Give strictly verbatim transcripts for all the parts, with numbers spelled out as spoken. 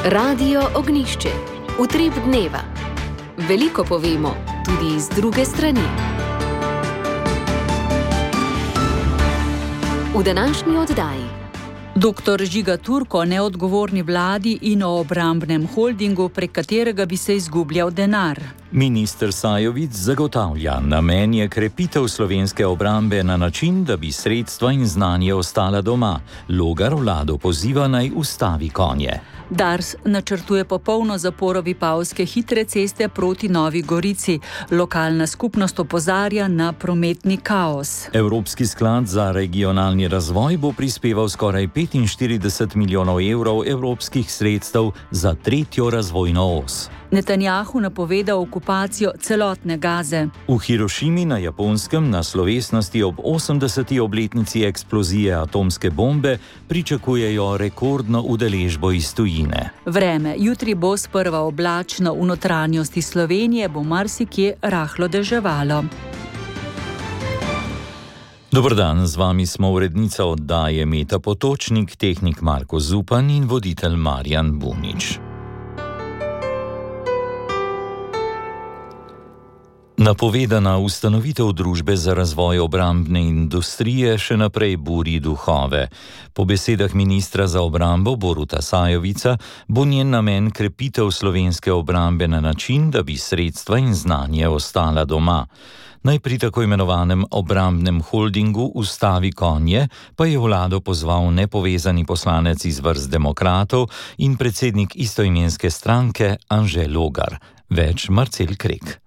Radio Ognišče, utrip dneva. Veliko povemo, tudi iz druge strani. V današnji oddaji doktor Žiga Turk o neodgovorni vladi in o obrambnem holdingu, prek katerega bi se izgubljal denar. Minister Sajovic zagotavlja, namen je krepitev slovenske obrambe na način, da bi sredstva in znanje ostala doma. Logar vlado poziva naj ustavi konje. Dars načrtuje popolno zaporo Vipavske hitre ceste proti Novi Gorici. Lokalna skupnost opozarja na prometni kaos. Evropski sklad za regionalni razvoj bo prispeval skoraj petinštirideset milijonov evrov evropskih sredstev za tretjo razvojno os. Netanjahu napovedal okupacijo celotne Gaze. V Hirošimi na Japonskem na slovesnosti ob osemdeseti obletnici eksplozije atomske bombe pričakujejo rekordno udeležbo iz tujine. Vreme. Jutri bo sprva oblačno, v notranjosti Slovenije bo marsikje rahlo deževalo. Dober dan, z vami smo urednica oddaje Meta Potočnik, tehnik Marko Zupan in voditelj Marjan Bunič. Napovedana ustanovitev družbe za razvoj obrambne industrije še naprej buri duhove. Po besedah ministra za obrambo Boruta Sajovica bo njen namen krepitev slovenske obrambe na način, da bi sredstva in znanje ostala doma. Naj pri tako imenovanem obrambnem holdingu ustavi konje, pa je vlado pozval nepovezani poslanec iz vrst demokratov in predsednik istoimenske stranke Anže Logar. Več Marcel Krek.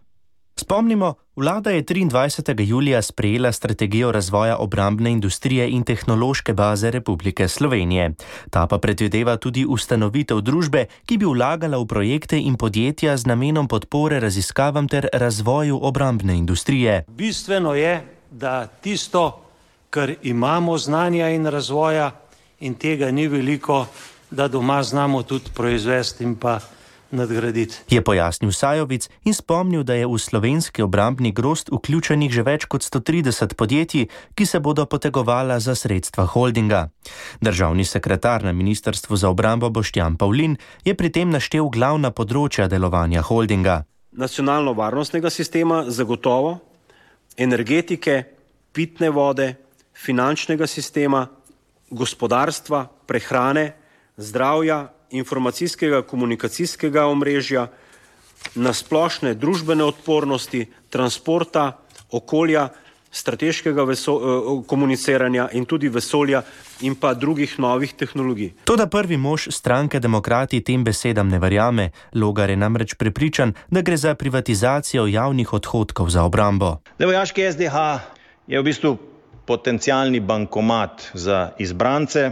Spomnimo, vlada je triindvajsetega julija sprejela strategijo razvoja obrambne industrije in tehnološke baze Republike Slovenije. Ta pa predvideva tudi ustanovitev družbe, ki bi vlagala v projekte in podjetja z namenom podpore raziskavam ter razvoju obrambne industrije. Bistveno je, da tisto, kar imamo znanja in razvoja, in tega ni veliko, da doma znamo tudi proizvesti in pa nadgraditi. Je pojasnil Sajovic in spomnil, da je v slovenski obrambni grozd vključenih že več kot sto trideset podjetij, ki se bodo potegovala za sredstva holdinga. Državni sekretar na Ministrstvu za obrambo Boštjan Pavlin je pri tem naštel glavna področja delovanja holdinga. Nacionalno-varnostnega sistema, zagotovo, energetike, pitne vode, finančnega sistema, gospodarstva, prehrane, zdravja, informacijskega komunikacijskega omrežja, na splošne družbene odpornosti, transporta, okolja, strateškega veso, komuniciranja in tudi vesolja in pa drugih novih tehnologij. Toda prvi mož stranke Demokrati tem besedam ne verjame. Logar je namreč prepričan, da gre za privatizacijo javnih odhodkov za obrambo. Vojaški S D H je v bistvu potencialni bankomat za izbrance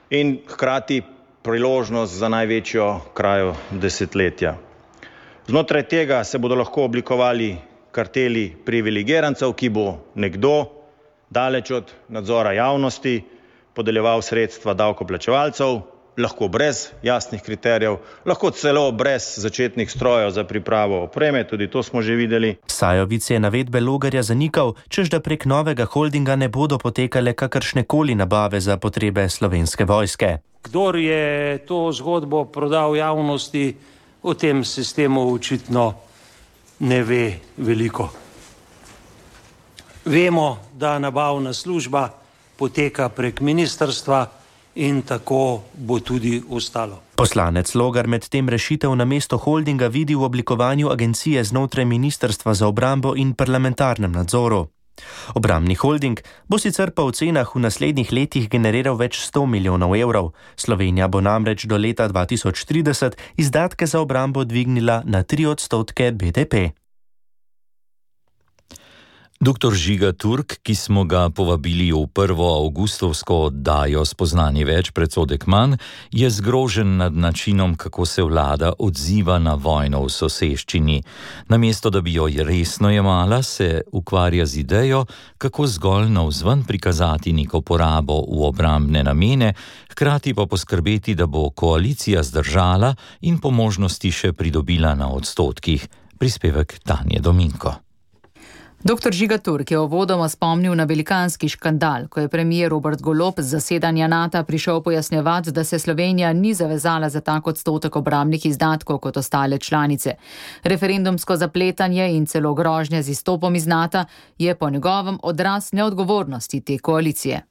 in hkrati priložnost za največjo krajo desetletja. Znotraj tega se bodo lahko oblikovali karteli privilegirancev, ki bo nekdo, daleč od nadzora javnosti, podeljeval sredstva davkoplačevalcev, lahko brez jasnih kriterijev, lahko celo brez začetnih strojev za pripravo opreme, tudi to smo že videli. Sajovic je navedbe Logarja zanikal, čež da prek novega holdinga ne bodo potekale kakršnekoli nabave za potrebe Slovenske vojske. Kdor je to zgodbo prodal javnosti, o tem sistemu očitno ne ve veliko. Vemo, da nabavna služba poteka prek ministrstva in tako bo tudi ostalo. Poslanec Logar med tem rešitev na mesto holdinga vidi v oblikovanju agencije znotraj Ministrstva za obrambo in parlamentarnem nadzoru. Obrambni holding bo sicer po ocenah v naslednjih letih generiral več sto milijonov evrov. Slovenija bo namreč do leta dva tisoč trideset izdatke za obrambo dvignila na tri odstotke B D P. Doktor Žiga Turk, ki smo ga povabili v prvo avgustovsko oddajo Spoznanje več, predsodek manj, je zgrožen nad načinom, kako se vlada odziva na vojno v soseščini. Namesto, da bi jo resno jemala, se ukvarja z idejo, kako zgolj navzven prikazati neko porabo v obrambne namene, hkrati pa poskrbeti, da bo koalicija zdržala in po možnosti še pridobila na odstotkih. Prispevek Tanje Dominko. Doktor Žiga Turk je uvodoma spomnil na velikanski škandal, ko je premier Robert Golob z zasedanja NATO prišel pojasnjevati, da se Slovenija ni zavezala za tak odstotek obrambnih izdatkov kot ostale članice. Referendumsko zapletanje in celo grožnje z izstopom iz NATO je po njegovem odraz neodgovornosti te koalicije.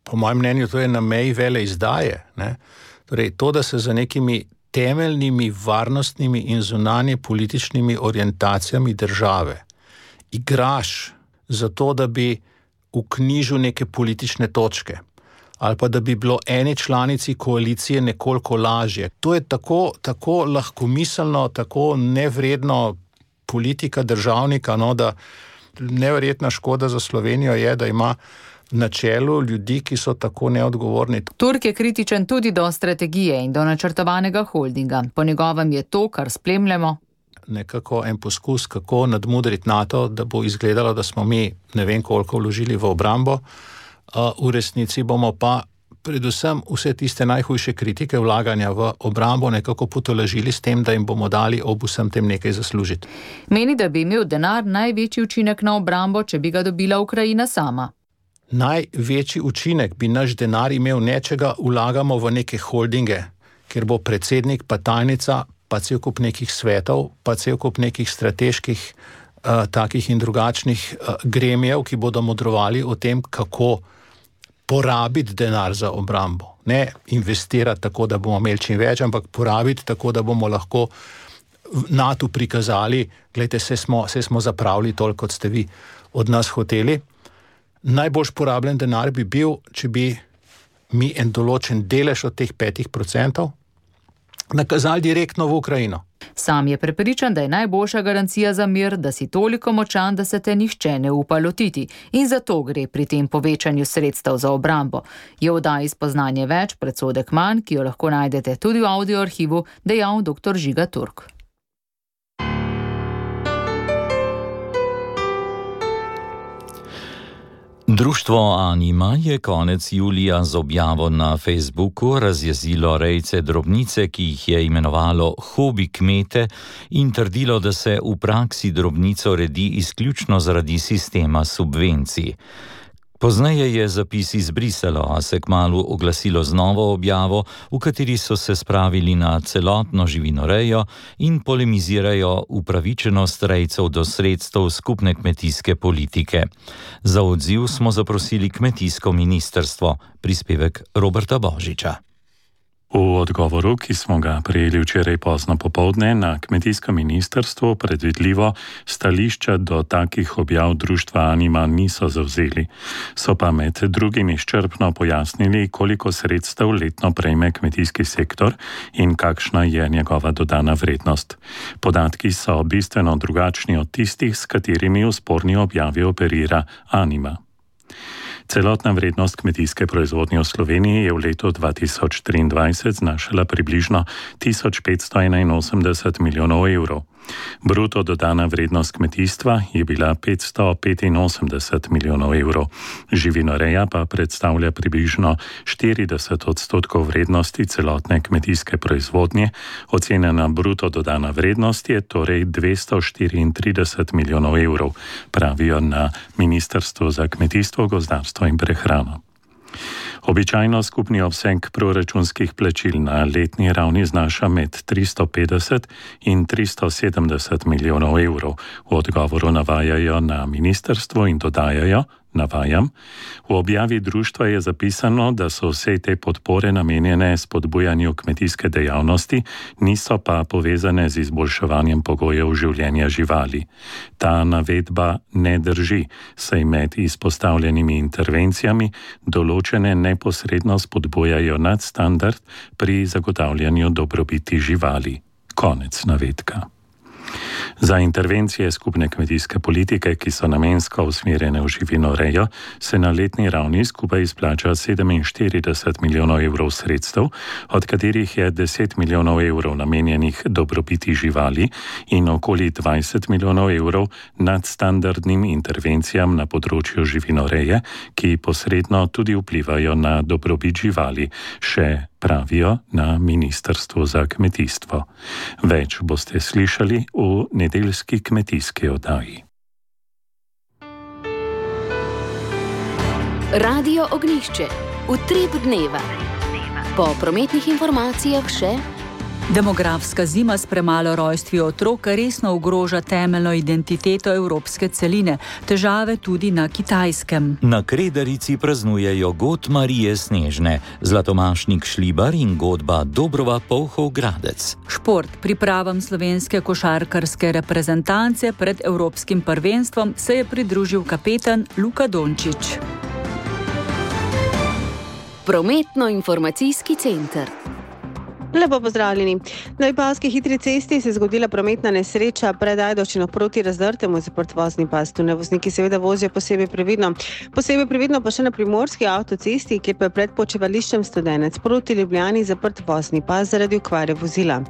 Po mojem mnenju to je na meji vele izdaje. Ne? Torej, to, da se za nekimi temeljnimi varnostnimi in zunanje političnimi orientacijami države igraš za to, da bi vknjižil neke politične točke ali pa da bi bilo eni članici koalicije nekoliko lažje. To je tako, tako lahkomiselno, tako nevredno politika državnika, no, da neverjetna škoda za Slovenijo je, da ima na čelu ljudi, ki so tako neodgovorni. Turk je kritičen tudi do strategije in do načrtovanega holdinga. Po njegovem je to, kar spremljamo, nekako en poskus, kako nadmudriti NATO, da bo izgledalo, da smo mi ne vem koliko vložili v obrambo. V resnici bomo pa predvsem vse tiste najhujše kritike vlaganja v obrambo nekako potolažili s tem, da jim bomo dali ob vsem tem nekaj zaslužiti. Meni, da bi imel denar največji učinek na obrambo, če bi ga dobila Ukrajina sama. Največji učinek bi naš denar imel, nečega vlagamo v neke holdinge, kjer bo predsednik pa tajnica, pa cel kup nekih svetov, pa cel kup nekih strateških uh, takih in drugačnih uh, gremijev, ki bodo modrovali o tem, kako porabiti denar za obrambo. Ne investirati tako, da bomo imeli čim več, ampak porabiti tako, da bomo lahko NATO prikazali, glejte, se smo, se smo zapravili toliko, kot ste vi od nas hoteli. Najbolj porabljen denar bi bil, če bi mi en določen delež od teh petih procentov nakazali direktno v Ukrajino. Sam je prepričan, da je najboljša garancija za mir, da si toliko močan, da se te nihče ne upa lotiti. In zato gre pri tem povečanju sredstev za obrambo. Je v oddaji Spoznanje več, predsodek manj, ki jo lahko najdete tudi v audioarhivu, dejal doktor Žiga Turk. Društvo Anima je konec julija z objavo na Facebooku razjezilo rejce drobnice, ki jih je imenovalo hobi kmete, in trdilo, da se v praksi drobnico redi izključno zaradi sistema subvencij. Pozneje je zapis izbrisalo, a se kmalu oglasilo z novo objavo, v kateri so se spravili na celotno živinorejo in polemizirajo upravičenost rejcev do sredstev skupne kmetijske politike. Za odziv smo zaprosili kmetijsko ministrstvo, prispevek Roberta Božiča. V odgovoru, ki smo ga prejeli včeraj pozno popoldne, na kmetijsko ministrstvo predvidljivo stališča do takih objav društva Anima niso zavzeli. So pa med drugim izčrpno pojasnili, koliko sredstev letno prejme kmetijski sektor in kakšna je njegova dodana vrednost. Podatki so bistveno drugačni od tistih, s katerimi v sporni objavi operira Anima. Celotna vrednost kmetijske proizvodnje v Sloveniji je v letu dva tisoč triindvajset znašala približno tisoč petsto enainosemdeset milijonov evrov. Bruto dodana vrednost kmetijstva je bila petsto petinosemdeset milijonov evrov. Živinoreja pa predstavlja približno štirideset odstotkov vrednosti celotne kmetijske proizvodnje. Ocenjena bruto dodana vrednost je torej dvesto štiriintrideset milijonov evrov, pravijo na Ministrstvu za kmetijstvo, gozdarstvo in prehrano. Običajno skupni obseg proračunskih plačil na letni ravni znaša med tristo petdeset in tristo sedemdeset milijonov evrov. V odgovoru navajajo na ministrstvo in dodajajo, navajam, v objavi društva je zapisano, da so vse te podpore namenjene spodbujanju kmetijske dejavnosti, niso pa povezane z izboljševanjem pogojev življenja živali. Ta navedba ne drži, saj med izpostavljenimi intervencijami določene neposredno spodbujajo nadstandard pri zagotavljanju dobrobiti živali. Konec navedka. Za intervencije skupne kmetijske politike, ki so namensko usmerjene v živinorejo, se na letni ravni skupaj izplača sedeminštirideset milijonov evrov sredstev, od katerih je deset milijonov evrov namenjenih dobrobiti živali in okoli dvajset milijonov evrov nadstandardnim intervencijam na področju živinoreje, ki posredno tudi vplivajo na dobrobit živali, še pravijo na Ministrstvu za kmetijstvo. Več boste slišali v nedeljski kmetijski oddaji. Radio Ognjišče, utrip dneva. Po prometnih informacijah še: demografska zima s premalo rojstvi otrok resno ogroža temeljno identiteto evropske celine, težave tudi na Kitajskem. Na Kredarici praznujejo god Marije Snežne, Zlatomašnik Šlibar in godba Dobrova Polhov Gradec. Šport. Pripravam slovenske košarkarske reprezentance pred evropskim prvenstvom se je pridružil kapetan Luka Dončić. Prometno-informacijski center. Lepo pozdravljeni. Na Vipavski hitri cesti se je zgodila prometna nesreča pred Ajdovščino proti Razdrtemu, zaprt vozni pas. Tu vozniki seveda vozijo posebej previdno. Posebej previdno pa še na primorski avtocesti, kjer pa je pred počivališčem Studenec proti Ljubljani zaprt vozni pas zaradi okvare vozila.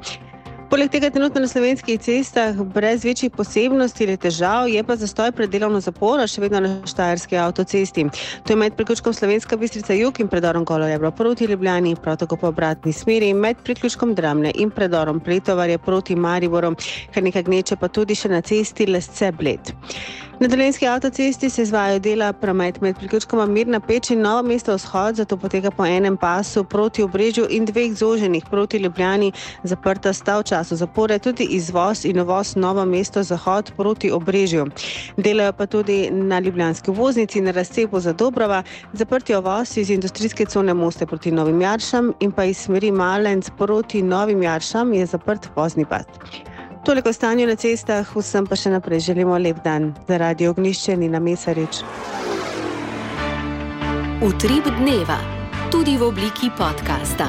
Poleg tega trenutno na slovenskih cestah brez večjih posebnosti ali težav je pa zastoj pred delovno zaporo še vedno na štajerski avtocesti. To je med priključkom Slovenska Bistrica jug in predorom Golorebro proti Ljubljani, prav tako po obratni smeri med priključkom Dramlje in predorom Pretovarje proti Mariboru, kar nekaj gneče pa tudi še na cesti Lesce-Bled. Na dolenjski avtocesti se izvajajo dela, promet med priključkoma Mirna Peč in Novo mesto vzhod, zato poteka po enem pasu proti Obrežju in dveh zoženih proti Ljubljani. Zaprta sta v času zapore tudi izvoz in uvoz Novo mesto zahod proti Obrežju. Delajo pa tudi na ljubljanski voznici na razcepu za Dobrova, zaprti uvoz iz industrijske cone Moste proti Novim Jaršam in pa iz smeri Malenc proti Novim Jaršam je zaprt vozni pas. Toliko o stanju na cestah, vsem pa še naprej želimo lep dan. Za Radio Ognjišče Nina Mesarič. Utrip dneva, tudi v obliki podcasta.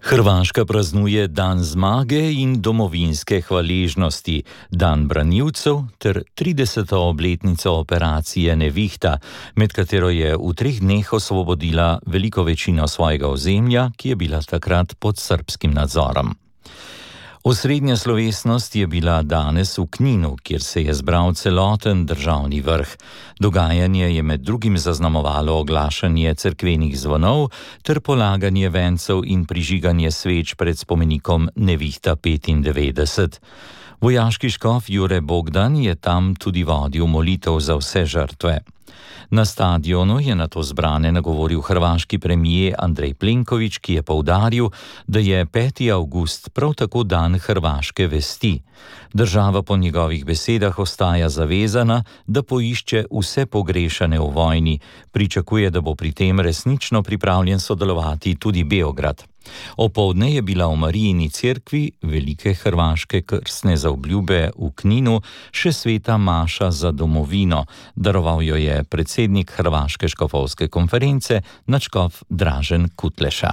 Hrvaška praznuje dan zmage in domovinske hvaležnosti, dan branilcev ter trideseto obletnico operacije Nevihta, med katero je v treh dneh osvobodila veliko večino svojega ozemlja, ki je bila takrat pod srbskim nadzorom. Osrednja slovesnost je bila danes v Kninu, kjer se je zbral celoten državni vrh. Dogajanje je med drugim zaznamovalo oglašanje cerkvenih zvonov ter polaganje vencev in prižiganje sveč pred spomenikom Nevihta petindevetdeset. Vojaški škof Jure Bogdan je tam tudi vodil molitev za vse žrtve. Na stadionu je nato zbrane nagovoril hrvaški premijer Andrej Plenković, ki je poudaril, da je peti avgust prav tako dan hrvaške vesti. Država po njegovih besedah ostaja zavezana, da poišče vse pogrešane v vojni. Pričakuje, da bo pri tem resnično pripravljen sodelovati tudi Beograd. Opoldne je bila v Marijini cerkvi velike hrvaške krstne zaobljube v Kninu še sveta maša za domovino. Daroval jo je predsednik Hrvaške škofovske konference, nadškof Dražen Kutleša.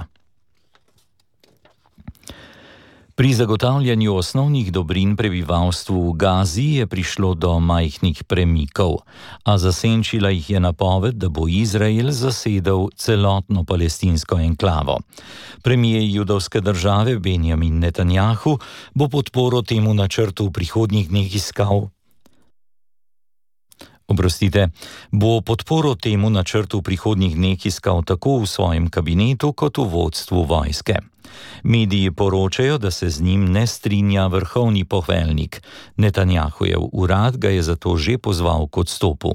Pri zagotavljanju osnovnih dobrin prebivalstvu v Gazi je prišlo do majhnih premikov, a zasenčila jih je napoved, da bo Izrael zasedel celotno palestinsko enklavo. Premijer judovske države Benjamin Netanjahu bo podporo temu načrtu v prihodnjih dneh iskal. Oprostite, bo podporo temu načrtu v prihodnjih dneh iskal tako v svojem kabinetu kot v vodstvu vojske. Mediji poročajo, da se z njim ne strinja vrhovni poveljnik. Netanjahujev urad ga je zato že pozval k odstopu.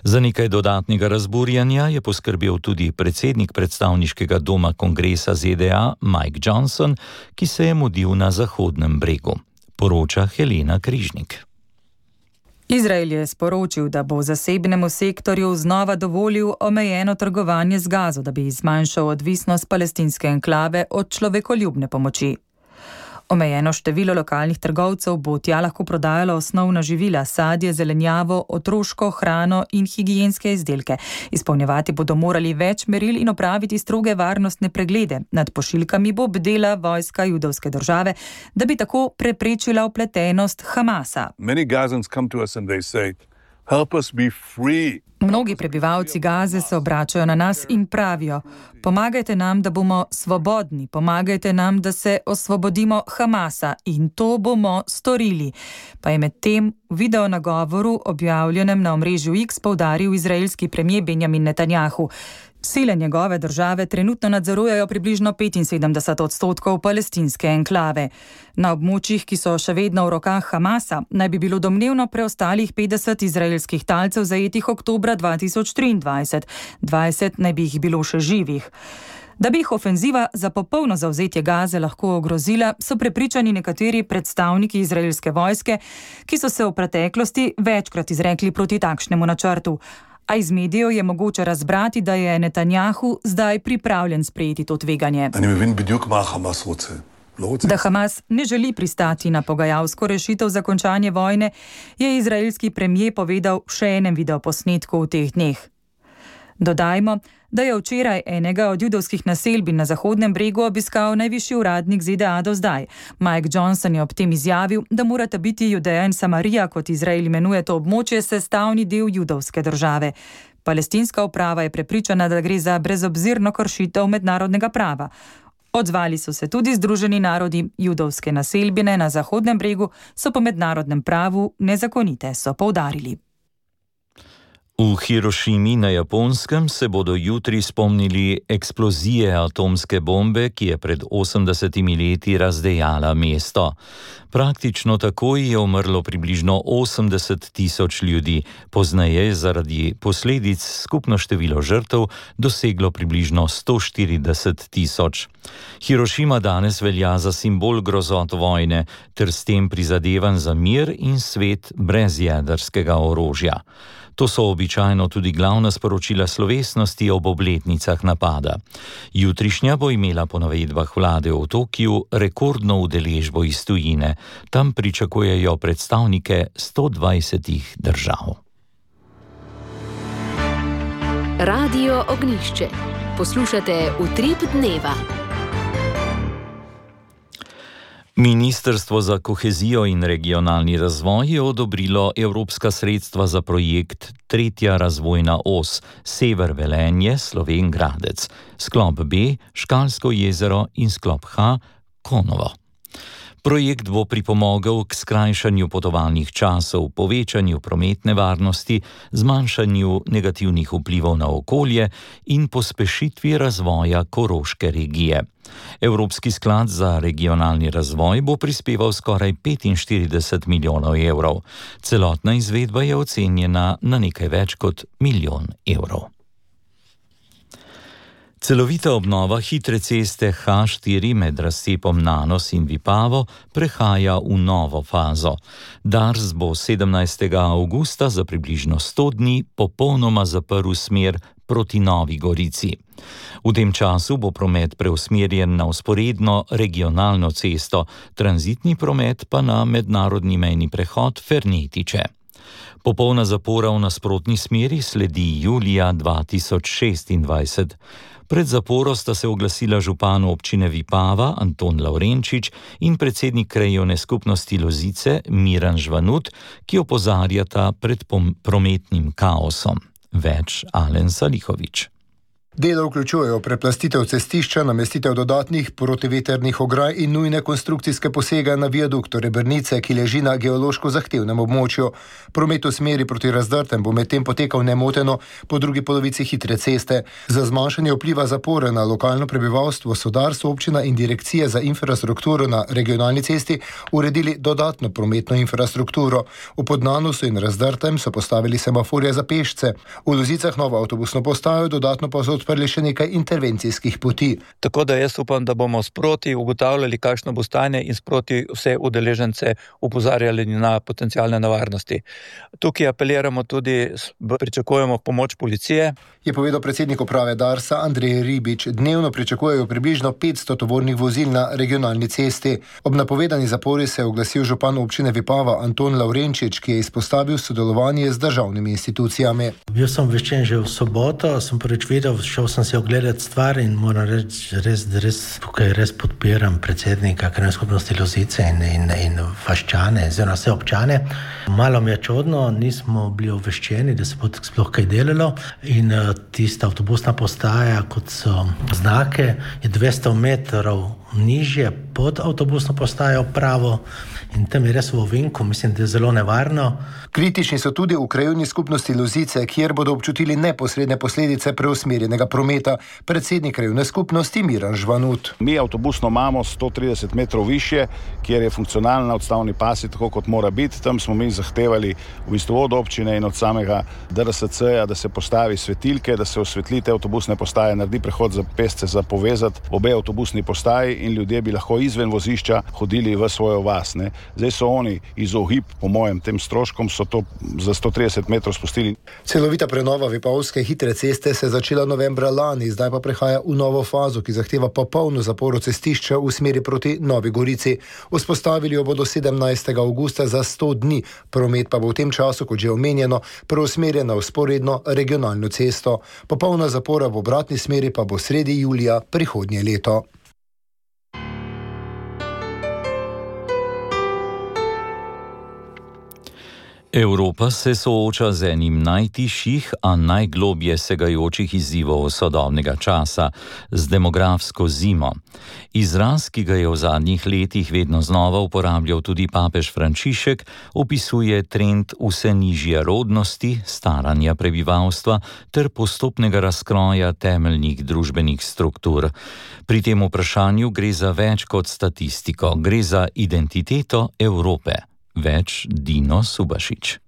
Za nekaj dodatnega razburjanja je poskrbel tudi predsednik predstavniškega doma kongresa Z D A Mike Johnson, ki se je mudil na Zahodnem bregu. Poroča Helena Križnik. Izrael je sporočil, da bo zasebnemu sektorju znova dovolil omejeno trgovanje z Gazo, da bi zmanjšal odvisnost palestinske enklave od človekoljubne pomoči. Omejeno število lokalnih trgovcev bo tja lahko prodajalo osnovna živila, sadje, zelenjavo, otroško hrano in higienske izdelke. Izpolnjevati bodo morali več meril in opraviti stroge varnostne preglede. Nad pošiljkami bo bdela vojska judovske države, da bi tako preprečila vpletenost Hamasa. Many Gazans come to us and they say, help us be free. Mnogi prebivalci Gaze se obračajo na nas in pravijo: pomagajte nam, da bomo svobodni, pomagajte nam, da se osvobodimo Hamasa, in to bomo storili. Pa je med tem v video nagovoru, objavljenem na omrežju X, poudaril izraelski premijer Benjamin Netanjahu. Sile njegove države trenutno nadzorujejo približno petinsedemdeset odstotkov palestinske enklave. Na območjih, ki so še vedno v rokah Hamasa, naj bi bilo domnevno preostalih petdeset izraelskih talcev zajetih oktobra dva tisoč triindvajset, dvajset naj bi jih bilo še živih. Da bi jih ofenziva za popolno zavzetje Gaze lahko ogrozila, so prepričani nekateri predstavniki izraelske vojske, ki so se v preteklosti večkrat izrekli proti takšnemu načrtu. A iz medijev je mogoče razbrati, da je Netanjahu zdaj pripravljen sprejeti to tveganje. Da Hamas ne želi pristati na pogajalsko rešitev za končanje vojne, je izraelski premier povedal v še enem videoposnetku v teh dneh. Dodajmo, da je včeraj enega od judovskih naselbin na Zahodnem bregu obiskal najvišji uradnik Z D A do zdaj. Mike Johnson je ob tem izjavil, da morata biti Judeja in Samarija, kot Izrael imenuje to območje, sestavni del judovske države. Palestinska uprava je prepričana, da gre za brezobzirno kršitev mednarodnega prava. Odzvali so se tudi Združeni narodi. Judovske naselbine na Zahodnem bregu so po mednarodnem pravu nezakonite, so poudarili. V Hirošimi na Japonskem se bodo jutri spomnili eksplozije atomske bombe, ki je pred osemdesetimi leti razdejala mesto. Praktično takoj je umrlo približno osemdeset tisoč ljudi, pozneje je zaradi posledic skupno število žrtev doseglo približno sto štirideset tisoč. Hirošima danes velja za simbol grozot vojne ter s tem prizadevanj za mir in svet brez jedrskega orožja. To so običajno tudi glavna sporočila slovesnosti ob obletnicah napada. Jutrišnja bo imela po navedbah vlade v Tokiju rekordno udeležbo iz tujine. Tam pričakujejo predstavnike sto dvajsetih držav. Radio Ognjišče. Poslušate Utrip dneva. Ministrstvo za kohezijo in regionalni razvoj je odobrilo evropska sredstva za projekt Tretja razvojna os Sever Velenje, Slovenj Gradec, sklop B Škalsko jezero in sklop H Konovo. Projekt bo pripomogel k skrajšanju potovalnih časov, povečanju prometne varnosti, zmanjšanju negativnih vplivov na okolje in pospešitvi razvoja Koroške regije. Evropski sklad za regionalni razvoj bo prispeval skoraj petinštirideset milijonov evrov. Celotna izvedba je ocenjena na nekaj več kot milijon evrov. Celovita obnova hitre ceste H štiri med razcepom Nanos in Vipavo prehaja v novo fazo. Dars bo sedemnajstega avgusta za približno sto dni popolnoma zaprl smer proti Novi Gorici. V tem času bo promet preusmerjen na vzporedno regionalno cesto, tranzitni promet pa na mednarodni mejni prehod Fernetiče. Popolna zapora v nasprotni smeri sledi julija dva tisoč šestindvajset. Pred zaporo sta se oglasila župan občine Vipava Anton Lavrenčič in predsednik krajevne skupnosti Lozice Miran Žvanut, ki opozarjata pred prometnim kaosom. Več Alen Salihovič. Dela vključujejo preplastitev cestišča, namestitev dodatnih protiveternih ograj in nujne konstrukcijske posege na viaduktu Rebrnice, ki leži na geološko zahtevnem območju. Promet v smeri proti Razdrtem bo medtem potekal nemoteno po drugi polovici hitre ceste. Za zmanjšanje vpliva zapore na lokalno prebivalstvo so Dars, občina in direkcije za infrastrukturo na regionalni cesti uredili dodatno prometno infrastrukturo. V Podnanosu in Razdrtem so postavili semaforje za pešce. V Lozicah novo avtobusno postajo, dodatno pa so odprli še nekaj intervencijskih poti. Tako da jaz upam, da bomo sproti ugotavljali, kakšno bo stanje in sproti vse udeležence upozarjali na potencialne nevarnosti. Tukaj apeliramo tudi, pričakujemo pomoč policije. Je povedal predsednik uprave Darsa Andrej Ribič. Dnevno pričakujejo približno petsto tovornih vozil na regionalni cesti. Ob napovedani zapori se je oglasil župan občine Vipava Anton Lavrenčič, ki je izpostavil sodelovanje z državnimi institucijami. Bil sem obveščen že v soboto, sem prvič videl, šel sem se ogledati stvar in moram reči, res, res, tukaj res podpiram predsednika krajevne skupnosti Lozice in, in, in vaščane, oziroma vse občane. Malo mi je čudno, nismo bili obveščeni, da se bo sploh kaj delalo in uh, tista avtobusna postaja, kot so znake, je dvesto metrov nižje pod avtobusno postajo pravo in tam je res v ovinku, mislim, da je zelo nevarno. Kritični so tudi v krajevni skupnosti Lozice, kjer bodo občutili neposredne posledice preusmerjenega prometa. Predsednik krajevne skupnosti Miran Žvanut. Mi avtobusno imamo sto trideset metrov više, kjer je funkcionalna odstavni pasi tako, kot mora biti. Tam smo mi zahtevali v bistvu od občine in od samega D R S C-ja, da se postavi svetilke, da se osvetlite avtobusne postaje, naredi prehod za pešce, za povezati obe avtobusni postaji in ljudje bi lahko izven vozišča hodili v svojo vas. Ne. Zdaj so oni izogib, po mojem, tem stroškom, so to za sto trideset metrov spustili. Celovita prenova Vipavske hitre ceste se je začela novembra lani, zdaj pa prehaja v novo fazo, ki zahteva popolno zaporo cestišča v smeri proti Novi Gorici. Vzpostavili jo bodo sedemnajstega avgusta za sto dni, promet pa bo v tem času, kot že omenjeno, preusmerjen na vzporedno regionalno cesto. Popolna zapora v obratni smeri pa bo sredi julija prihodnje leto. Evropa se sooča z enim najtišjih, a najglobje segajočih izzivov sodobnega časa, z demografsko zimo. Izraz, ki ga je v zadnjih letih vedno znova uporabljal tudi papež Frančišek, opisuje trend vse nižje rodnosti, staranja prebivalstva ter postopnega razkroja temeljnih družbenih struktur. Pri tem vprašanju gre za več kot statistiko, gre za identiteto Evrope. Več Dino Subašič.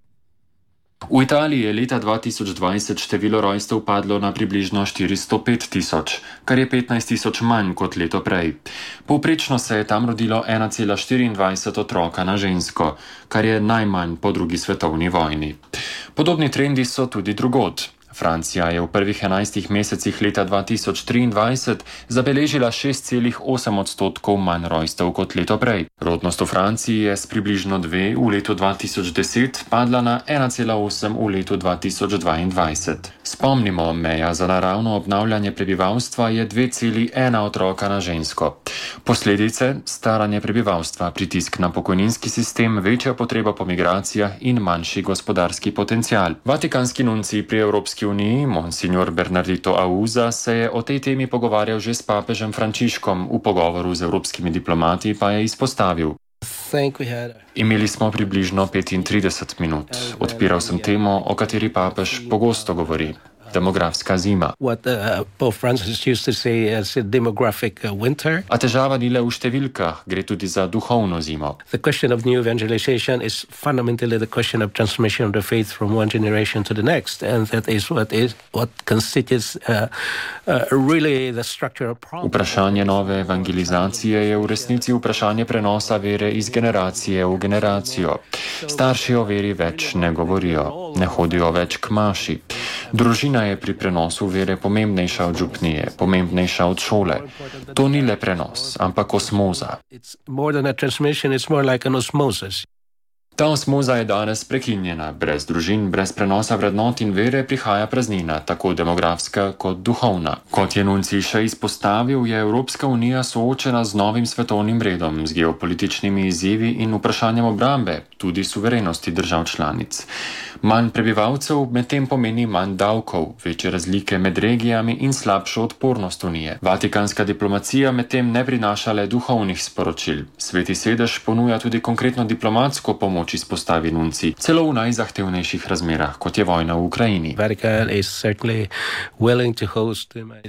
V Italiji je leta dva tisoč dvajset število rojstev padlo na približno štiristo pet tisoč, kar je petnajst tisoč manj kot leto prej. Povprečno se je tam rodilo ena cela štiriindvajset otroka na žensko, kar je najmanj po drugi svetovni vojni. Podobni trendi so tudi drugod. Francija je v prvih enajstih mesecih leta dva tisoč triindvajset zabeležila šest celih osem odstotkov manj rojstev kot leto prej. Rodnost v Franciji je s približno dve v letu dva tisoč deset padla na ena cela osem v letu dva tisoč dvaindvajset. Spomnimo, meja za naravno obnavljanje prebivalstva je dve celi ena otroka na žensko. Posledice: staranje prebivalstva, pritisk na pokojninski sistem, večja potreba po migracijah in manjši gospodarski potencial. Vatikanski nuncij pri Evropski uniji, monsignor Bernardito Auza, se je o tej temi pogovarjal že s papežem Frančiškom, v pogovoru z evropskimi diplomati pa je izpostavil: Imeli smo približno petintrideset minut. Odpiral sem temo, o kateri papež pogosto govori. Demografska zima. What uh, Pope Francis used to say as a demographic uh, winter. A težava ni le v številkah, gre tudi za duhovno zimo. The question of new evangelization is fundamentally the question of transmission of the faith from one generation to the next, and that is what is what constitutes uh, uh, really the structural problem. Vprašanje nove evangelizacije je v resnici vprašanje prenosa vere iz generacije v generacijo. Starši o veri več ne govorijo, ne hodijo več k maši. Družina je pri prenosu vere pomembnejša od župnije, pomembnejša od šole. To ni le prenos, ampak osmoza. Ta osmoza je danes prekinjena. Brez družin, brez prenosa vrednot in vere prihaja praznina, tako demografska kot duhovna. Kot je nuncij še izpostavil, je Evropska unija soočena z novim svetovnim redom, z geopolitičnimi izzivi in vprašanjem obrambe, tudi suverenosti držav članic. Manj prebivalcev medtem pomeni manj davkov, večje razlike med regijami in slabšo odpornost unije. Vatikanska diplomacija medtem ne prinaša le duhovnih sporočil. Sveti sedež ponuja tudi konkretno diplomatsko pomoč, izpostavi nuncij, celo v najzahtevnejših razmerah, kot je vojna v Ukrajini.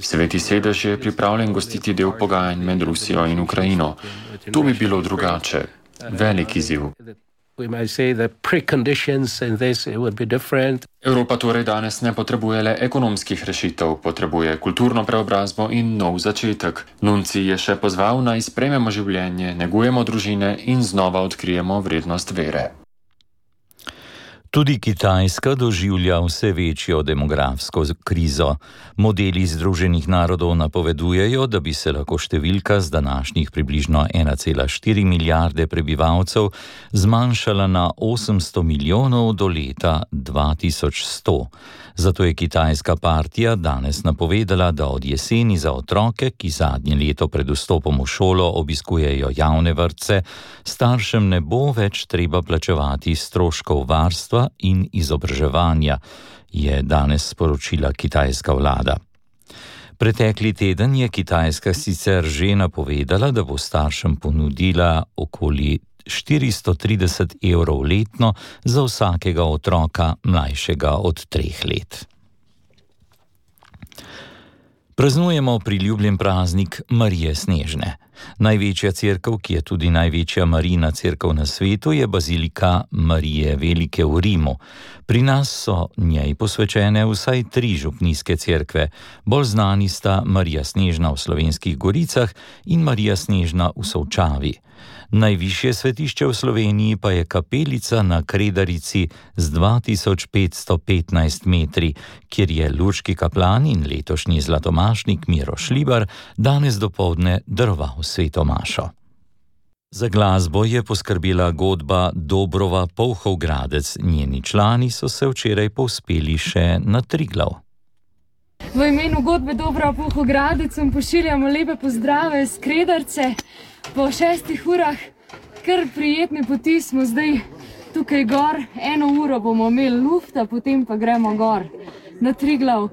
Sveti sedež je pripravljen gostiti del pogajanj med Rusijo in Ukrajino. To bi bilo drugače. Velik izziv. Evropa torej danes ne potrebuje le ekonomskih rešitev, potrebuje kulturno preobrazbo in nov začetek. Nuncij je še pozval, naj sprejmemo življenje, negujemo družine in znova odkrijemo vrednost vere. Tudi Kitajska doživlja vse večjo demografsko krizo. Modeli Združenih narodov napovedujejo, da bi se lahko številka z današnjih približno ena cela štiri milijarde prebivalcev zmanjšala na osemsto milijonov do leta dva tisoč sto. Zato je kitajska partija danes napovedala, da od jeseni za otroke, ki zadnje leto pred vstopom v šolo obiskujejo javne vrtce, staršem ne bo več treba plačevati stroškov varstva in izobraževanja, je danes sporočila kitajska vlada. Pretekli teden je Kitajska sicer že napovedala, da bo staršem ponudila okoli štiristo trideset evrov letno za vsakega otroka mlajšega od treh let. Praznujemo priljubljen praznik Marije Snežne. Največja cerkev, ki je tudi največja Marijina cerkev na svetu, je bazilika Marije Velike v Rimu. Pri nas so njej posvečene vsaj tri župnijske cerkve. Bolj znani sta Marija Snežna v Slovenskih Goricah in Marija Snežna v Solčavi. Najvišje svetišče v Sloveniji pa je kapelica na Kredarici z dva tisoč petsto petnajst metri, kjer je lurški kaplan in letošnji zlatomašnik Miro Šlibar danes dopoldne daroval sveto mašo. Za glasbo je poskrbela godba Dobrova Polhov-Gradec. Njeni člani so se včeraj povzpeli še na Triglav. V imenu godbe Dobrova Polhov-Gradec vam pošiljamo lepe pozdrave z Kredarce. Po šestih urah kar prijetne poti smo zdaj tukaj gor. Eno uro bomo imeli lufta, potem pa gremo gor na Triglav. Uh,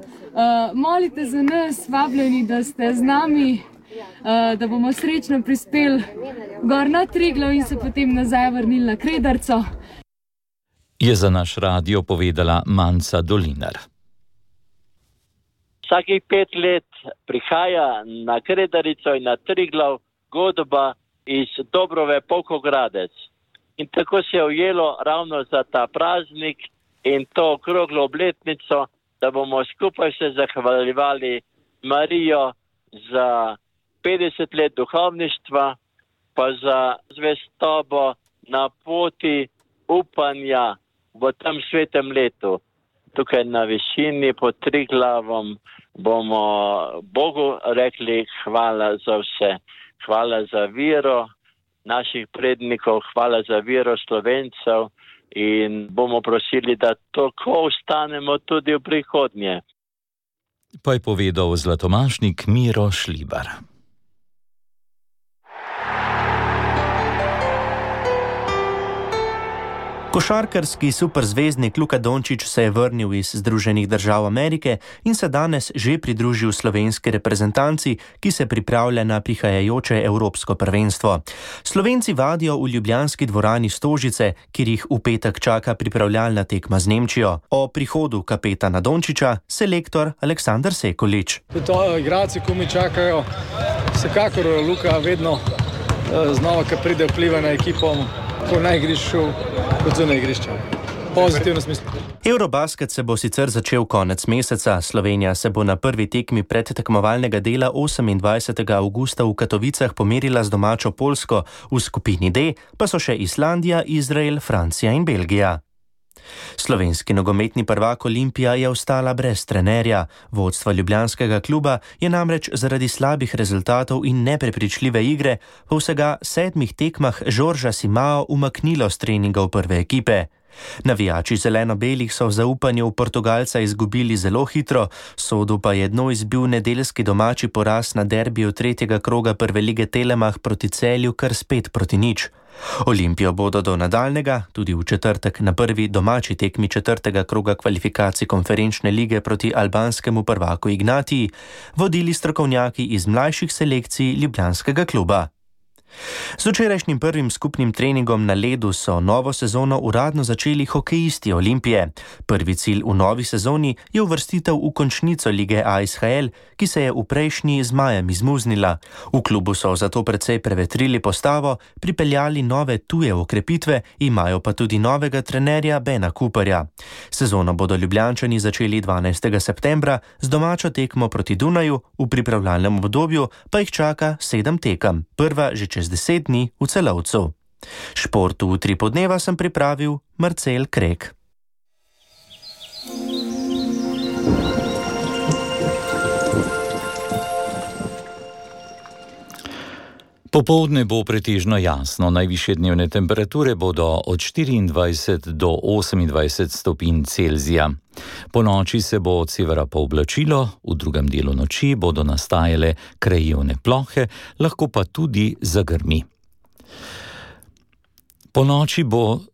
molite za nas, vabljeni, da ste z nami, uh, da bomo srečno prispeli gor na Triglav in se potem nazaj vrnili na Kredarco. Je za naš radio povedala Manca Dolinar. Vsakih pet let prihaja na Kredarico in na Triglav godba iz Dobrove Polhov-Gradec. In tako se je ujelo ravno za ta praznik in to okroglo obletnico, da bomo skupaj se zahvaljevali Marijo za petdeset let duhovništva, pa za zvestobo na poti upanja v tem svetem letu. Tukaj na višini pod Triglavom bomo Bogu rekli hvala za vse. Hvala za vero naših prednikov, hvala za vero Slovencev in bomo prosili, da tako ostanemo tudi v prihodnje. Pa je povedal zlatomašnik Miro Šlibar. Košarkarski superzvezdnik Luka Dončić se je vrnil iz Združenih držav Amerike in se danes že pridružil slovenski reprezentanci, ki se pripravlja na prihajajoče evropsko prvenstvo. Slovenci vadijo v ljubljanski dvorani Stožice, kjer jih v petek čaka pripravljalna tekma z Nemčijo. O prihodu kapetana Dončića selektor Aleksandar Sekulić. To igralci, ko mi čakajo, vsekakor Luka vedno znova, ko pride vpliva na ekipo, ko na igrišču, kot zunaj igrišča. Pozitivno smislu. Eurobasket se bo sicer začel konec meseca. Slovenija se bo na prvi tekmi predtekmovalnega dela osemindvajsetega avgusta v Katovicah pomerila z domačo Poljsko, v skupini D pa so še Islandija, Izrael, Francija in Belgija. Slovenski nogometni prvak Olimpija je ostala brez trenerja. Vodstva ljubljanskega kluba je namreč zaradi slabih rezultatov in neprepričljive igre po vsega sedmih tekmah Žorža Simao umaknilo s treningov prve ekipe. Navijači zeleno-belih so v zaupanju v Portugalca izgubili zelo hitro, Sodu pa je dno izbil nedeljski domači poraz na derbiju tretjega kroga prve lige Telemach proti Celju kar spet proti nič. Olimpijo bodo do nadaljnega, tudi v četrtek na prvi domači tekmi četrtega kroga kvalifikacij konferenčne lige proti albanskemu prvaku Ignatiji, vodili strokovnjaki iz mlajših selekcij ljubljanskega kluba. Z včerajšnjim prvim skupnim treningom na ledu so novo sezono uradno začeli hokejisti Olimpije. Prvi cilj v novi sezoni je uvrstitev v končnico lige A S H L, ki se je v prejšnji z majem izmuznila. V klubu so zato precej prevetrili postavo, pripeljali nove tuje okrepitve, imajo pa tudi novega trenerja Bena Cooperja. Sezono bodo Ljubljančani začeli dvanajstega septembra z domačo tekmo proti Dunaju, v pripravljalnem obdobju pa jih čaka sedem tekem, prva že čez deset dni v Celovcu. Športu v tri podneva sem pripravil Marcel Krek. Popoldne bo pretežno jasno, najvišje dnevne temperature bodo od štiriindvajset do osemindvajset stopinj Celzija. Po noči se bo od severa pooblačilo, v drugem delu noči bodo nastajale krajevne plohe, lahko pa tudi zagrmi. Po noči bo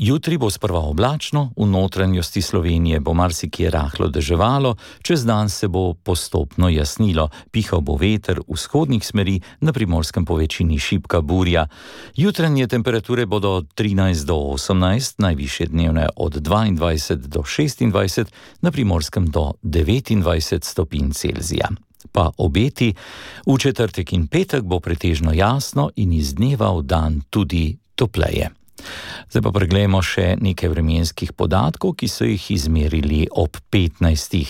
Jutri bo sprva oblačno, v notranjosti Slovenije bo marsikje rahlo deževalo, čez dan se bo postopno jasnilo, pihal bo veter vzhodnih smeri, na Primorskem po večini šibka burja. Jutranje temperature bodo od trinajst do osemnajst, najvišje dnevne od dvaindvajset do šestindvajset, na Primorskem do devetindvajset stopinj Celzija. Pa obeti, v četrtek in petek bo pretežno jasno in iz dneva v dan tudi topleje. Zdaj pa preglejmo še nekaj vremenskih podatkov, ki so jih izmerili ob petnajstih.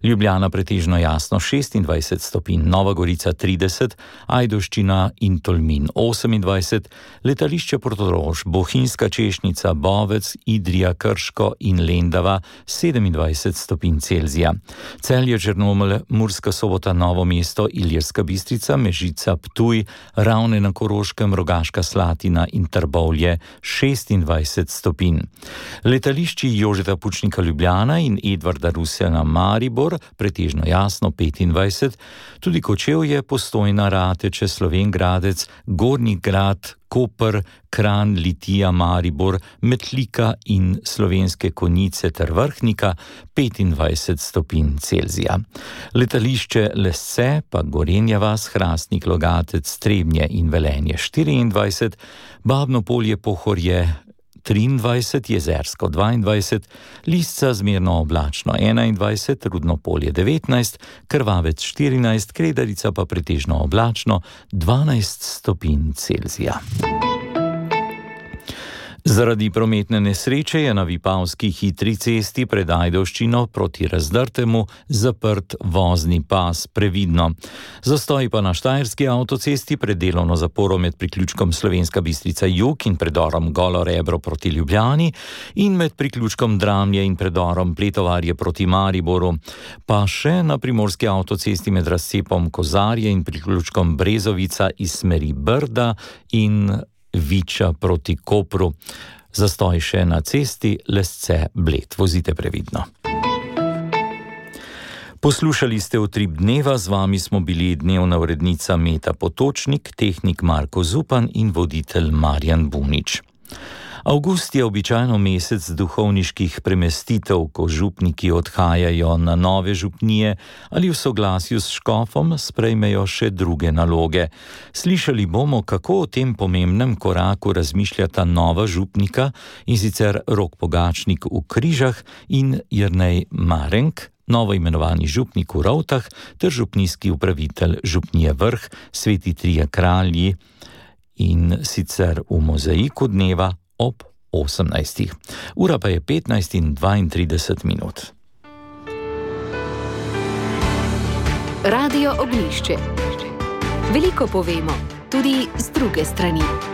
Ljubljana pretežno jasno šestindvajset stopinj, Nova Gorica trideset, Ajdovščina in Tolmin osemindvajset, letališče Portorož, Bohinjska Češnica, Bovec, Idrija, Krško in Lendava sedemindvajset stopinj Celzija. Celje, Črnomelj, Murska Sobota, Novo mesto, Ilirska Bistrica, Mežica, Ptuj, Ravne na Koroškem, Rogaška Slatina in Trbovlje šestindvajset stopinj. Letališči Jožeta Pučnika Ljubljana in Edvarda Rusjana Maribor pretežno jasno petindvajset, tudi Kočevje, Postojna, Rateče, Slovenj Gradec, Gornji Grad, Koper, Kranj, Litija, Maribor, Metlika in Slovenske Konjice ter Vrhnika petindvajset stopinj Celzija. Letališče Lesce, pa Gorenja vas, Hrastnik, Logatec, Trebnje in Velenje štiriindvajset, Babno Polje, Pohorje triindvajset, Jezersko dvaindvajset, Lisca zmerno oblačno enaindvajset, Rudno Polje devetnajst, Krvavec štirinajst, Kredarica pa pretežno oblačno dvanajst stopinj Celzija. Zaradi prometne nesreče je na Vipavski hitri cesti pred Ajdovščino proti Razdrtemu zaprt vozni pas, previdno. Zastoji pa na Štajerski avtocesti pred delovno zaporo med priključkom Slovenska Bistrica Jug in predorom Golo Rebro proti Ljubljani in med priključkom Dramlje in predorom Pletovarje proti Mariboru. Pa še na Primorski avtocesti med razcepom Kozarje in priključkom Brezovica iz smeri Brda in Viča proti Kopru. Zastoj še na cesti Lesce Bled. Vozite previdno. Poslušali ste Utrip dneva, z vami smo bili dnevna urednica Meta Potočnik, tehnik Marko Zupan in voditelj Marjan Bunič. Avgust je običajno mesec duhovniških premestitev, ko župniki odhajajo na nove župnije ali v soglasju s škofom sprejmejo še druge naloge. Slišali bomo, kako o tem pomembnem koraku razmišljata nova župnika, in sicer Rok Pogačnik v Križah in Jernej Marenk, novo imenovani župnik v Rovtah, ter župnijski upravitelj župnije Vrh, Sveti Trije Kralji, in sicer v mozaiku dneva ob osemnajstih. Ura pa je petnajst in dvaintrideset minut. Radio Oglišče. Veliko povemo, tudi z druge strani.